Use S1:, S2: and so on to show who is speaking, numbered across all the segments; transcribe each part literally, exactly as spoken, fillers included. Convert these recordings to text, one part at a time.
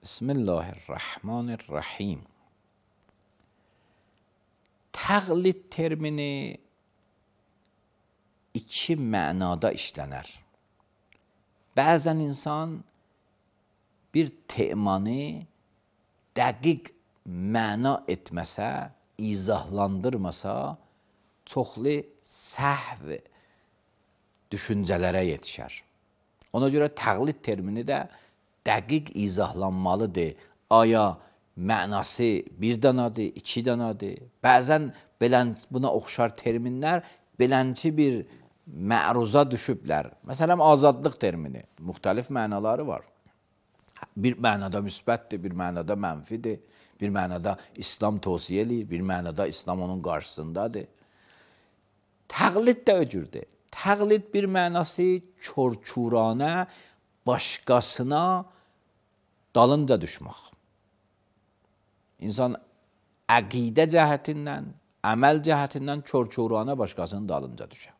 S1: Bismillahirrahmanirrahim. Təqlid termini iki mənada işlənər. Bəzən insan bir temanı dəqiq məna etməsə, izahlandırmasa, çoxlu səhv düşüncələrə yetişər. Ona görə təqlid termini də dəqiq izahlanmalıdır. Aya mənası bir danadır, iki danadır. Bəzən belən, buna oxşar terminlər belənçi bir məruza düşüblər. Məsələn, azadlıq termini, müxtəlif mənaları var. Bir mənada müsbətdir, bir mənada mənfidir, bir mənada İslam tövsiyə eləyir, bir mənada İslam onun qarşısındadır. Təqlid də öcürdür. Təqlid bir mənası çor-çuranə, başqasına dalınca düşmək. İnsan əqidə cəhətindən, əməl cəhətindən çor-çuranə başqasının dalınca düşər.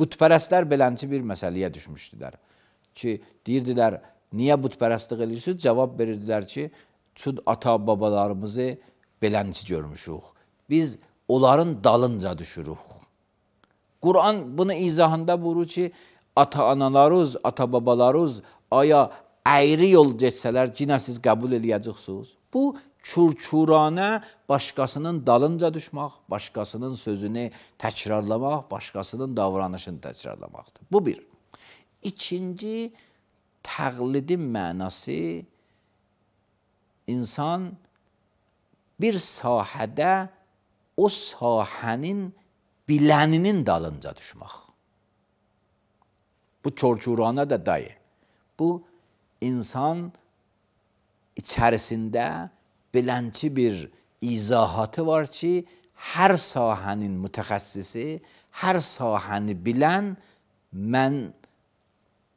S1: Bütpərəstlər belənçi bir məsələyə düşmüşdülər ki, deyirdilər, niyə bütpərəstlik edirsiniz? Cavab verirdilər ki, çünki ata-babalarımızı belənçi görmüşük. Biz onların dalınca düşürük. Quran bunu izahında buyurur ki, ata-analarınız, ata-babalarınız aya əyri yol geçsələr, yenə siz qəbul eləyəcəksiniz. Bu, çur-çuranə başqasının dalınca düşmək, başqasının sözünü təkrarlamaq, başqasının davranışını təkrarlamaqdır. Bu bir. İkinci, təqlidin mənası insan bir sahədə o sahənin biləninin dalınca düşmək. Bu çor-çuranə də dayı. Bu, insan içərisində belənçi bir izahatı var ki, hər sahənin mütəxəssisi, hər sahəni bilən, mən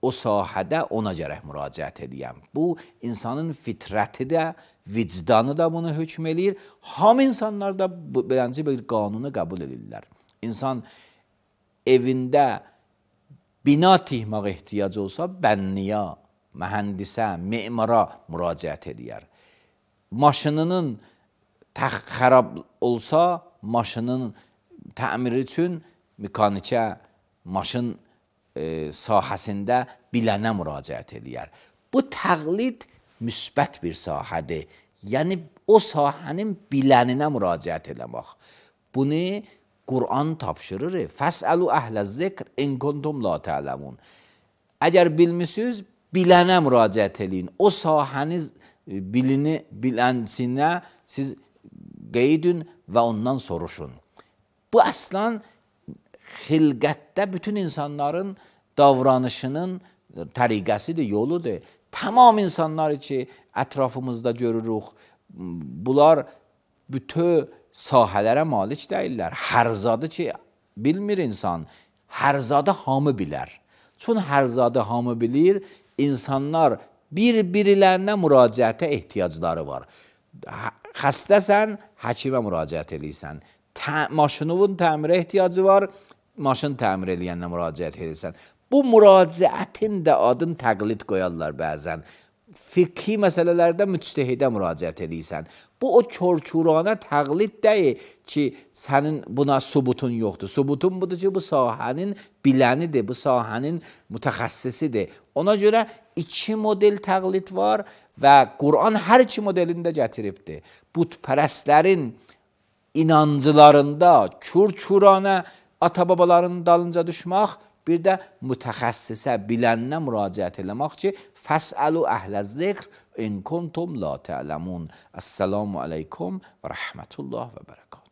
S1: o sahədə ona gərək müraciət edəyəm. Bu, insanın fitrəti də, vicdanı da bunu hökm eləyir. Hamı insanlar da belənçi bir qanunu qəbul edirlər. İnsan evində bina tikmək ehtiyacı olsa, bənniyə, mühəndisə, memara müraciət edər. Maşınının xərab olsa, maşının təmiri üçün mekanikə, maşın e, sahəsində bilənə müraciət edər. Bu təqlid müsbət bir sahədir. Yəni, o sahənin biləninə müraciət edəmək. Bunu Quran tapşırır. Fəsəlu əhlə-zikr in kuntum la ta'lemun. Əgər bilmisiniz, bilənə müraciət edin. O sahəniz bilini, bilənsinə siz qeydün və ondan soruşun. Bu əslən xilqətdə bütün insanların davranışının təriqəsidir, yoludur. Tamam insanlar ki, ətrafımızda görürük, bunlar bütün sahələrə malik deyirlər. Hər zadı ki, bilmir insan, hər zadı hamı bilər. Çünki hər zadı hamı bilir, insanlar bir-birilərinə müraciətə ehtiyacları var. Xəstəsən, həkimə müraciət edirsən. Maşınının təmirə ehtiyacı var, maşın təmir eləyənlə müraciət edirsən. Bu müraciətin də adın təqlid qoyarlar bəzən. Fikhi məsələlərdə müctehidə müraciət edirsən. Bu, o çor-çuranə təqlid deyil ki, sənin buna subutun yoxdur. Subutun budur ki, bu sahənin bilənidir, bu sahənin mütəxəssisidir. Ona görə iki model təqlid var və Quran hər iki modelində gətiribdir. Bütpərəstlərin inancılarında çur-çuranə ata-babaların dalınca düşmək, bir də mütəxəssisə, bilənə müraciət eləmək ki, fəsəlu əhlə-zikr in kuntum la ta'lemun. Əssəlamu aleykum və rəhmətullah və bərəkət.